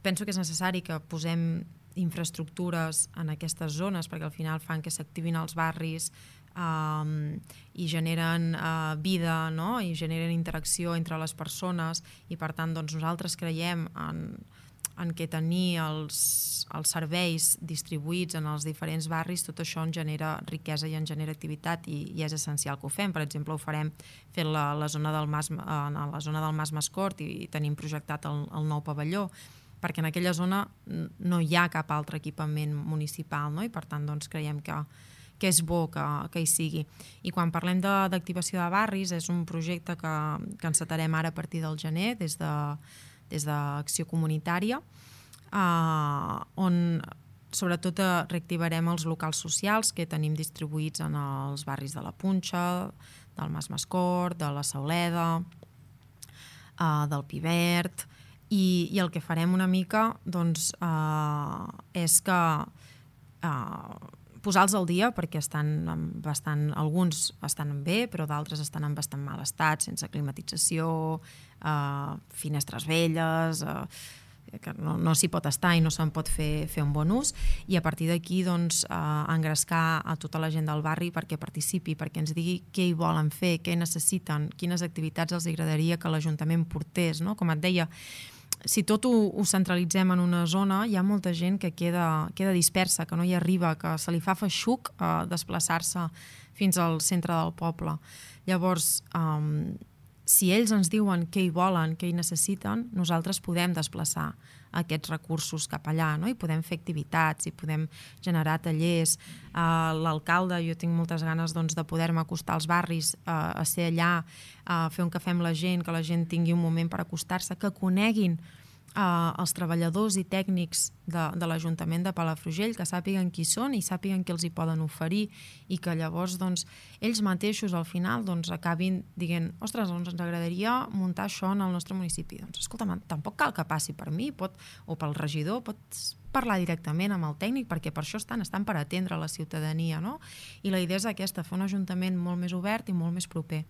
penso que és necessari que posem infraestructures en aquestes zones perquè al final fan que s'activin els barris i generen vida, no? I generen interacció entre les persones i per tant doncs, nosaltres creiem en què tenir els serveis distribuïts en els diferents barris, tot això en genera riquesa i en genera activitat i és essencial que ho fem. Per exemple, ho farem fent la zona del Mas Mascort i tenim projectat el nou pavelló, perquè en aquella zona no hi ha cap altre equipament municipal, no? I per tant doncs, creiem que és bo que hi sigui. I quan parlem d'activació de barris, és un projecte que encetarem ara a partir del gener des d'Acció Comunitària, on sobretot reactivarem els locals socials que tenim distribuïts en els barris de la Punxa, del Mas Mascort, de la Sauleda, del Pivert, i el que farem una mica doncs, és que posar-los al dia perquè alguns estan bé però d'altres estan en bastant mal estat, sense climatització, finestres velles, que no s'hi pot estar i no se'n pot fer un bon ús, i a partir d'aquí doncs, engrescar a tota la gent del barri perquè participi, perquè ens digui què hi volen fer, què necessiten, quines activitats els agradaria que l'Ajuntament portés, no? Com et deia, si tot ho centralitzem en una zona, hi ha molta gent que queda dispersa, que no hi arriba, que se li fa feixuc desplaçar-se fins al centre del poble. Llavors, si ells ens diuen què hi volen, què hi necessiten, nosaltres podem desplaçar aquests recursos cap allà, no? I podem fer activitats, i podem generar tallers. L'alcalde, jo tinc moltes ganes doncs, de poder-me acostar als barris, a ser allà, a fer un cafè amb la gent, que la gent tingui un moment per acostar-se, que coneguin els treballadors i tècnics de l'Ajuntament de Palafrugell, que sàpiguen qui són i sàpiguen què els hi poden oferir i que llavors doncs, ells mateixos al final doncs, acabin dient, ostres, doncs ens agradaria muntar això en el nostre municipi. Doncs escolta, tampoc cal que passi per mi o pel regidor, pots parlar directament amb el tècnic perquè per això estan per atendre la ciutadania, no? I la idea és aquesta, fer un ajuntament molt més obert i molt més proper.